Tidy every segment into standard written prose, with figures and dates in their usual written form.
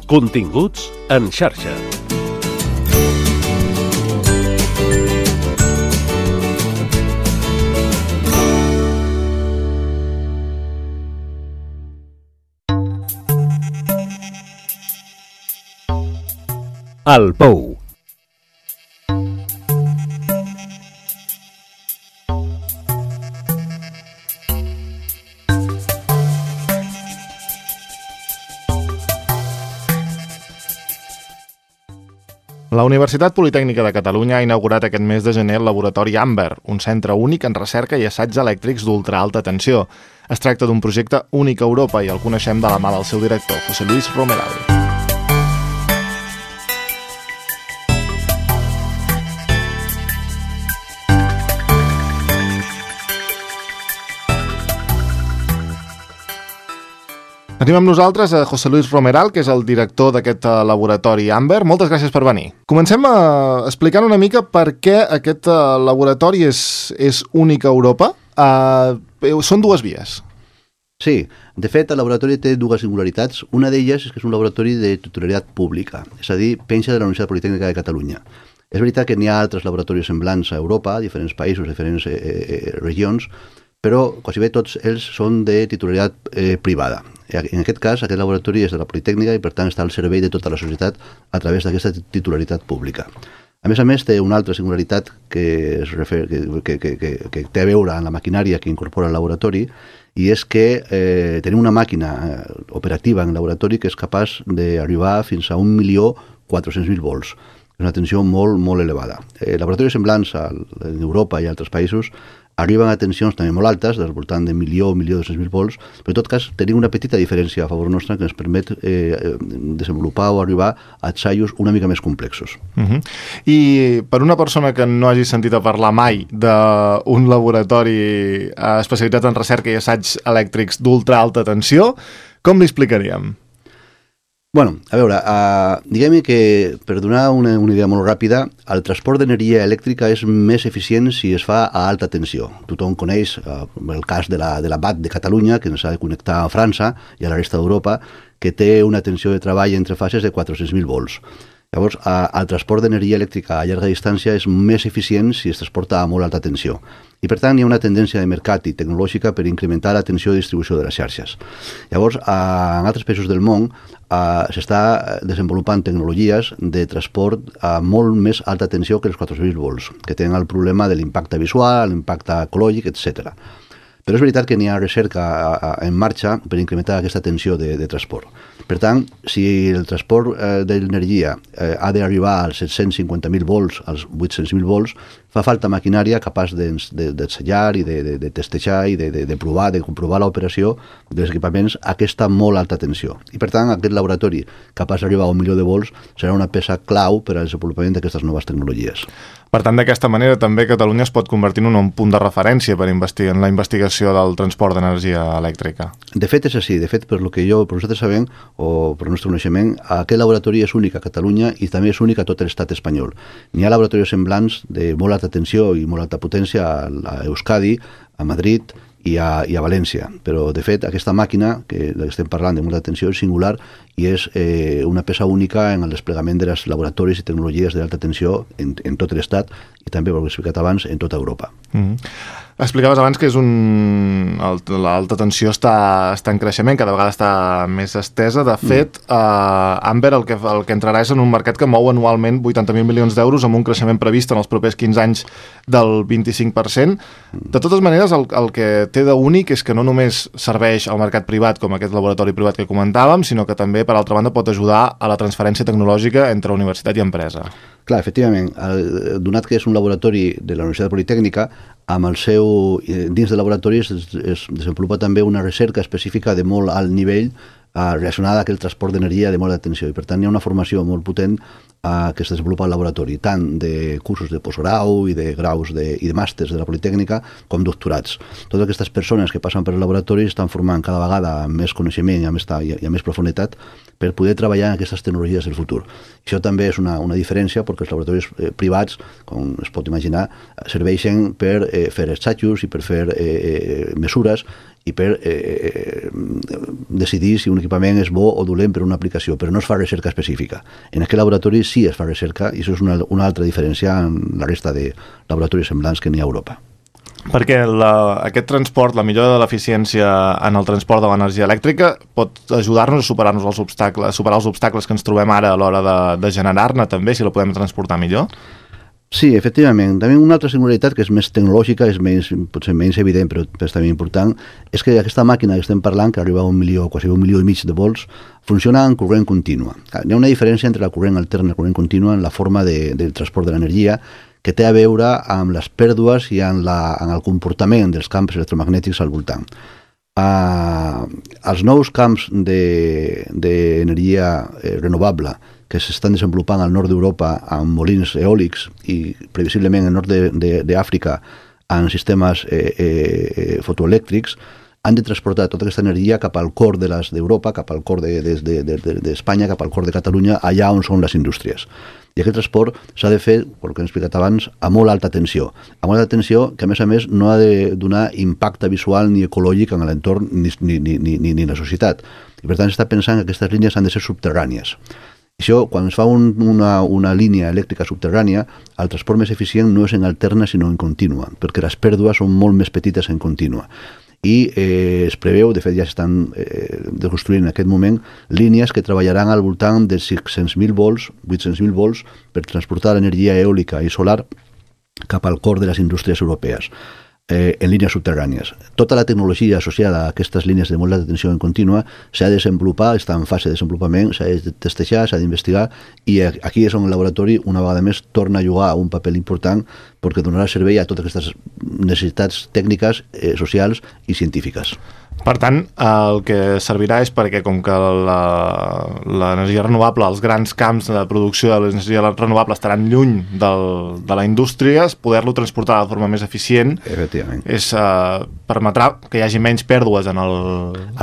Continguts en xarxa. El Pou. La Universitat Politècnica de Catalunya ha inaugurat aquest mes de gener el laboratori Amber, un centre únic en recerca i assaigs elèctrics d'ultra-alta tensió. Es tracta d'un projecte únic a Europa i el coneixem de la mà del seu director, José Luis Romeral. Tenim amb nosaltres a José Luis Romeral, que és el director d'aquest laboratori Amber. Moltes gràcies per venir. Comencem explicant una mica per què aquest laboratori és únic a Europa. Són dues vies. Sí, de fet el laboratori té dues singularitats. Una d'elles és que és un laboratori de titularitat pública, és a dir, penja de la Universitat Politècnica de Catalunya. És veritat que n'hi ha altres laboratoris semblants a Europa, diferents països, diferents regions, però quasi bé tots ells són de titularitat privada. En aquest cas, aquest laboratori és de la Politècnica i per tant està al servei de tota la societat a través d'aquesta titularitat pública. A més, té una altra singularitat que té a veure amb la maquinària que incorpora el laboratori, i és que tenim una màquina operativa en el laboratori que és capaç d'arribar fins a 1.400.000 volts. És una tensió molt, molt elevada. Laboratoris semblants a Europa i altres països arriben a tensions també molt altes, del voltant de 1.200.000 volts, però en tot cas tenim una petita diferència a favor nostra que ens permet desenvolupar o arribar a assajos una mica més complexos. I per una persona que no hagi sentit a parlar mai d'un laboratori especialitzat en recerca i assaigs elèctrics d'ultra-alta tensió, com li explicaríem? Bueno, a veure, diguem que per donar una idea molt ràpida, el transport d'energia elèctrica és més eficient si es fa a alta tensió. Tothom coneix el cas de la BAT de Catalunya, que ens ha de connectar a França i a la resta d'Europa, que té una tensió de treball entre fases de 400.000 volts. Llavors, el transport d'energia elèctrica a llarga distància és més eficient si es transporta a molt alta tensió. I per tant hi ha una tendència de mercat i tecnològica per incrementar la tensió de distribució de les xarxes. Llavors, en altres països del món s'està desenvolupant tecnologies de transport a molt més alta tensió que els 400.000 volts, que tenen el problema de l'impacte visual, l'impacte ecològic, etc. Però és veritat que n'hi ha recerca en marxa per incrementar aquesta tensió de transport. Per tant, si el transport d'energia ha d'arribar als 750.000 volts, als 800.000 volts, fa falta maquinària capaç d'ensenyar i de testejar i de comprovar l'operació dels equipaments a aquesta molt alta tensió. I per tant, aquest laboratori capaç d'arribar a 1 milió de volts serà una peça clau per al desenvolupament d'aquestes noves tecnologies. Per tant, d'aquesta manera també Catalunya es pot convertir en un punt de referència en la investigació del transport d'energia elèctrica. De fet, és així. De fet, per nosaltres sabem, o per el nostre coneixement, aquest laboratori és únic a Catalunya i també és únic a tot l'estat espanyol. N'hi ha laboratoris semblants de molt alta tensió i molt alta potència a Euskadi, a Madrid i a València, però de fet aquesta màquina que estem parlant de molta tensió és singular i és una peça única en el desplegament dels laboratoris i tecnologies d'alta tensió en tot l'estat i també, com he explicat abans, en tota Europa. Explicaves abans que l'alta tensió està en creixement, cada vegada està més estesa. De fet, Amber el que entrarà és en un mercat que mou anualment 80.000 milions d'euros amb un creixement previst en els propers 15 anys del 25%. De totes maneres, el que té d'únic és que no només serveix al mercat privat, com aquest laboratori privat que comentàvem, sinó que també, per altra banda, pot ajudar a la transferència tecnològica entre universitat i empresa. Clar, efectivament, donat que és un laboratori de la Universitat Politècnica, dins del laboratori es desenvolupa també una recerca específica de molt alt nivell relacionada a aquell transport d'energia de molt alta tensió i per tant hi ha una formació molt potent que es desenvolupa al laboratori, tant de cursos de postgrau i de graus i de màsters de la Politècnica com doctorats. Totes aquestes persones que passen per el laboratori estan formant cada vegada amb més coneixement i amb més profunditat per poder treballar en aquestes tecnologies del futur. Això també és una diferència perquè els laboratoris privats, com es pot imaginar, serveixen per fer assajos i per fer mesures i per decidir si un equipament és bo o dolent per una aplicació, però no es fa recerca específica. En aquest laboratori sí es fa recerca, i això és una altra diferència en la resta de laboratoris semblants que n'hi ha a Europa. Perquè aquest transport, la millora de l'eficiència en el transport de l'energia elèctrica pot ajudar-nos a superar els obstacles que ens trobem ara a l'hora de generar-ne també, si la podem transportar millor? Sí, efectivament. També una altra singularitat que és més tecnològica, potser menys evident, però és també important, és que aquesta màquina que estem parlant, que arriba a quasi 1,5 milió de volts, funciona en corrent contínua. Hi ha una diferència entre la corrent alterna i la corrent contínua en la forma del transport de l'energia, que té a veure amb les pèrdues i en el comportament dels camps electromagnètics al voltant. Els nous camps d'energia renovable que s'estan desenvolupant al nord d'Europa amb molins eòlics i previsiblement al nord d'Àfrica en sistemes fotoelèctrics, han de transportar tota aquesta energia cap al cor d'Europa, cap al cor d'Espanya, cap al cor de Catalunya, allà on són les indústries. I aquest transport s'ha de fer, pel que hem explicat abans, a molt alta tensió. A molt alta tensió que, a més, no ha de donar impacte visual ni ecològic en l'entorn ni la societat. I, per tant, s'està pensant que aquestes línies han de ser subterrànies. Això, quan es fa una línia elèctrica subterrània, el transport més eficient no és en alterna, sinó en contínua, perquè les pèrdues són molt més petites en contínua. I es preveu, de fet ja s'estan construint en aquest moment, línies que treballaran al voltant de 600.000 volts, 800.000 volts, per transportar l'energia eòlica i solar cap al cor de les indústries europees, en línies subterrànies. Tota la tecnologia associada a aquestes línies de molt alta tensió en contínua s'ha de desenvolupar, està en fase de desenvolupament, s'ha de testejar, s'ha d'investigar, i aquí és on el laboratori, una vegada més, torna a jugar un paper important perquè donarà servei a totes aquestes necessitats tècniques, socials i científiques. Per tant, el que servirà és perquè, com que l'energia renovable, els grans camps de producció de l'energia renovable estaran lluny de la indústria, poder-lo transportar de forma més eficient permetrà que hi hagi menys pèrdues en el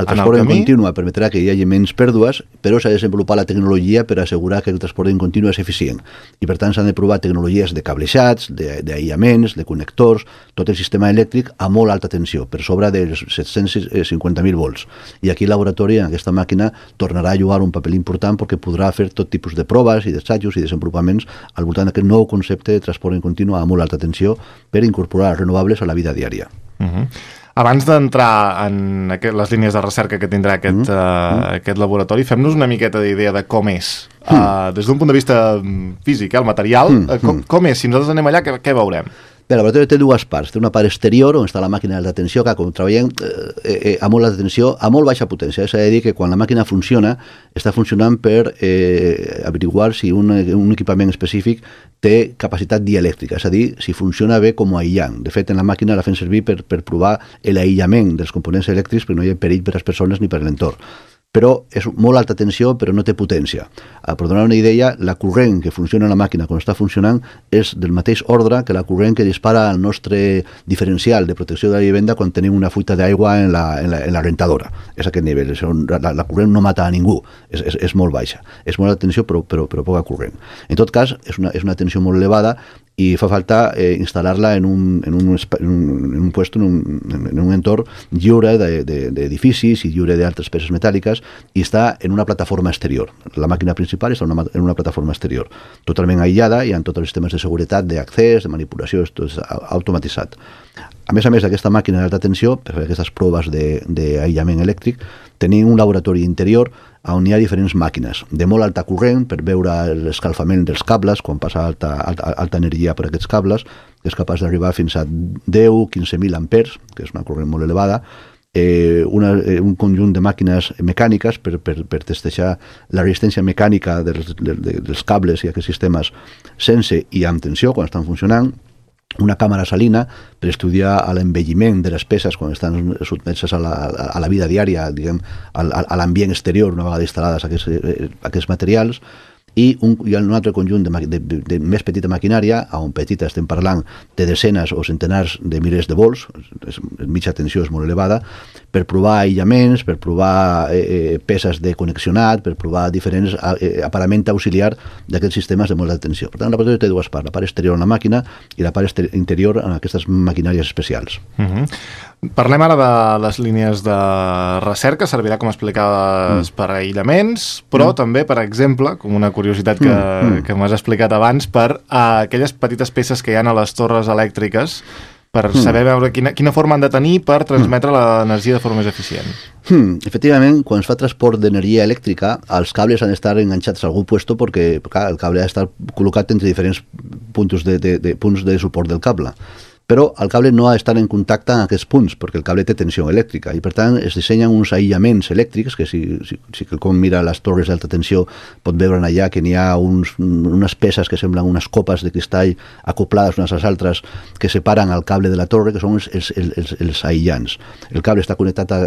transport en contínua permetrà que hi hagi menys pèrdues, però s'ha de desenvolupar la tecnologia per assegurar que el transport en contínua és eficient. I, per tant, s'han de provar tecnologies de cablejats, d'aïllaments, de connectors, tot el sistema elèctric a molt alta tensió, per sobre dels 750.000 volts. I aquí el laboratori, en aquesta màquina, tornarà a jugar un paper important perquè podrà fer tot tipus de proves i d'assajos i desenvolupaments al voltant d'aquest nou concepte de transport en continu a molt alta tensió per incorporar renovables a la vida diària. Abans d'entrar en les línies de recerca que tindrà aquest laboratori, fem-nos una miqueta d'idea de com és. Des d'un punt de vista físic, el material, com és? Si nosaltres anem allà, què veurem? Bé, el laboratori té dues parts. Té una part exterior on està la màquina d'alta tensió, que com treballem a molt alta tensió, a molt baixa potència. S'ha de dir que quan la màquina funciona, està funcionant per averiguar si un equipament específic té capacitat dielèctrica, és a dir, si funciona bé com a aïllant. De fet, en la màquina la fem servir per provar l'aïllament dels components elèctrics perquè no hi ha perill per a les persones ni per a l'entorn. Però és molt alta tensió, però no té potència. Per donar una idea, la corrent que funciona en la màquina quan està funcionant és del mateix ordre que la corrent que dispara el nostre diferencial de protecció de la vivenda quan tenim una fuita d'aigua en la rentadora. És aquest nivell. La corrent no mata a ningú, és molt baixa. És molt alta tensió, però poca corrent. En tot cas, és una tensió molt elevada i fa falta instal·lar-la en un puesto, en un entorn lliure d'edificis i lliure d'altres peces metàl·liques, i està en una plataforma exterior. La màquina principal està en una plataforma exterior, totalment aïllada i amb tots els sistemes de seguretat, d'accés, de manipulació, tot és automatitzat. A més d'aquesta màquina d'alta tensió, per fer aquestes proves d'aïllament elèctric, tenim un laboratori interior on hi ha diferents màquines de molt alta corrent per veure l'escalfament dels cables quan passa alta energia per aquests cables, que és capaç d'arribar fins a 10-15.000 amperes, que és una corrent molt elevada, un conjunt de màquines mecàniques per testejar la resistència mecànica dels cables i aquests sistemes sense i amb tensió quan estan funcionant, una càmera salina per estudiar l'envelliment de les peces quan estan sotmeses a la vida diària, diguem, a l'ambient exterior una vegada instal·lades aquests materials, i un altre conjunt de més petita maquinària, on petita estem parlant de desenes o centenars de milers de volts, mitja tensió és molt elevada, per provar aïllaments, per provar peces de connexionat, per provar diferents aparament auxiliar d'aquests sistemes de molt alta tensió. Per tant, el laboratori té dues parts, la part exterior en la màquina i la part interior en aquestes maquinàries especials. Parlem ara de les línies de recerca, servirà, com explicaves, per aïllaments, però també, per exemple, com una curiositat que m'has explicat abans, per aquelles petites peces que hi ha a les torres elèctriques, per saber veure quina forma han de tenir per transmetre l'energia de forma més eficient. Efectivament, quan es fa transport d'energia elèctrica, els cables han d'estar enganxats a algun puesto perquè el cable ha d'estar col·locat entre diferents punts de suport del cable. Però el cable no ha d'estar en contacte amb aquests punts, perquè el cable té tensió elèctrica, i per tant es dissenyen uns aïllaments elèctrics, que si quelcom mira les torres d'alta tensió pot veure allà que n'hi ha unes peces que semblen unes copes de cristall acoplades unes a les altres que separen el cable de la torre, que són els aïllants. El cable està connectat a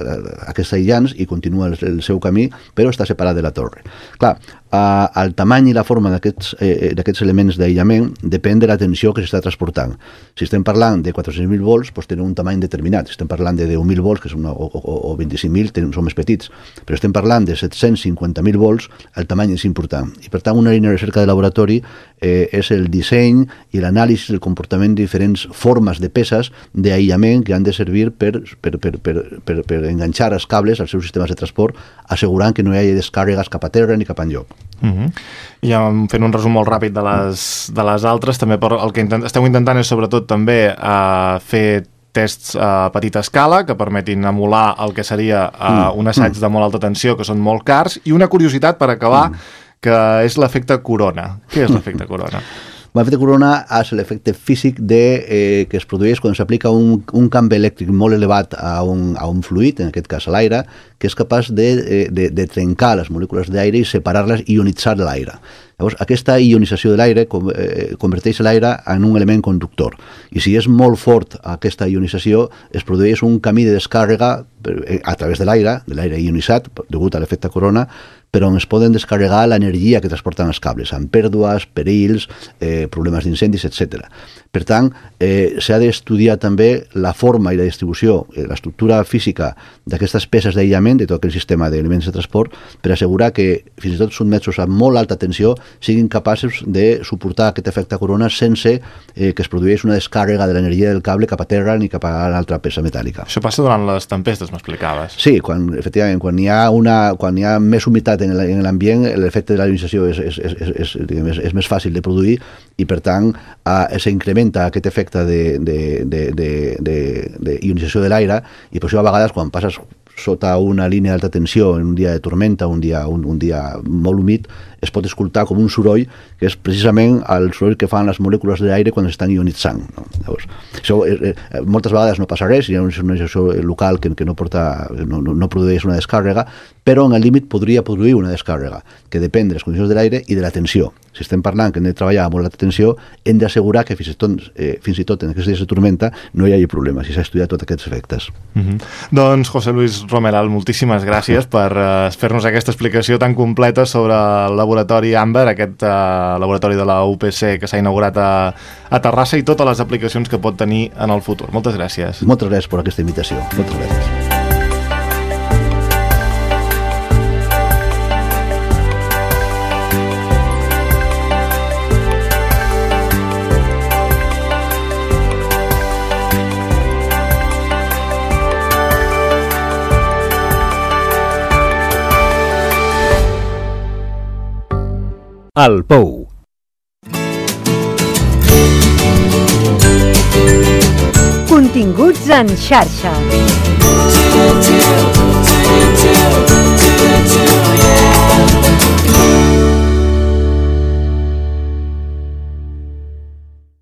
aquests aïllants i continua el seu camí, però està separat de la torre. Clar, el tamany i la forma d'aquests elements d'aïllament depèn de la tensió que s'està transportant. Si estem parlant de 400.000 volts, doncs tenen un tamany determinat. Si estem parlant de 10.000 volts, que o 25.000, són més petits. Però estem parlant de 750.000 volts, el tamany és important. I per tant, una línia de recerca de laboratori és el disseny i l'anàlisi del comportament de diferents formes de peces d'aïllament que han de servir per enganxar els cables als seus sistemes de transport, assegurant que no hi hagi descàrregues cap a terra ni cap enlloc. I fent un resum molt ràpid de les altres, també el que esteu intentant és sobretot també fer tests a petita escala que permetin emular el que seria un assaig de molt alta tensió, que són molt cars, i una curiositat per acabar, que és l'efecte corona. Què és l'efecte corona? L'efecte corona és l'efecte físic que es produeix quan s'aplica un camp elèctric molt elevat a un fluid, en aquest cas a l'aire, que és capaç de trencar les molècules d'aire i separar-les i ionitzar l'aire. Llavors, aquesta ionització de l'aire converteix l'aire en un element conductor. I si és molt fort aquesta ionització, es produeix un camí de descàrrega a través de l'aire ionitzat, degut a l'efecte corona, però on es poden descarregar l'energia que transporten els cables, amb pèrdues, perills, problemes d'incendis, etc. Per tant, s'ha d'estudiar també la forma i la distribució, l'estructura física d'aquestes peces d'aïllament, de tot aquell sistema d'elements de transport, per assegurar que, fins i tot sotmesos a molt alta tensió, siguin capaços de suportar aquest efecte corona sense que es produeix una descàrrega de l'energia del cable cap a terra ni cap a l'altra peça metàl·lica. Això passa durant les tempestes, m'explicaves. Sí, efectivament, quan hi ha més humitat en l'ambient, l'efecte de la ionització és més fàcil de produir i, per tant, s'incrementa aquest efecte de ionització de l'aire, i per això a vegades quan passes sota una línia d'alta tensió en un dia de tormenta, un dia molt humit, es pot escoltar com un soroll que és precisament el soroll que fan les molècules d'aire quan estan ionitzant. Llavors, això moltes vegades no passa res, hi ha una ionització local que no produeix una descàrrega, però en el límit podria produir una descàrrega, que depèn de les condicions de l'aire i de la tensió. Si estem parlant que hem de treballar a molt alta tensió, hem d'assegurar que fins i tot en aquests dies de tormenta no hi hagi problemes, i s'ha estudiat tots aquests efectes. Doncs, José Luis Romeral, moltíssimes gràcies per fer-nos aquesta explicació tan completa sobre el laboratori Amber, aquest laboratori de la UPC que s'ha inaugurat a Terrassa, i totes les aplicacions que pot tenir en el futur. Moltes gràcies. Moltes gràcies per aquesta invitació. Moltes gràcies. El Pou. Continguts en xarxa.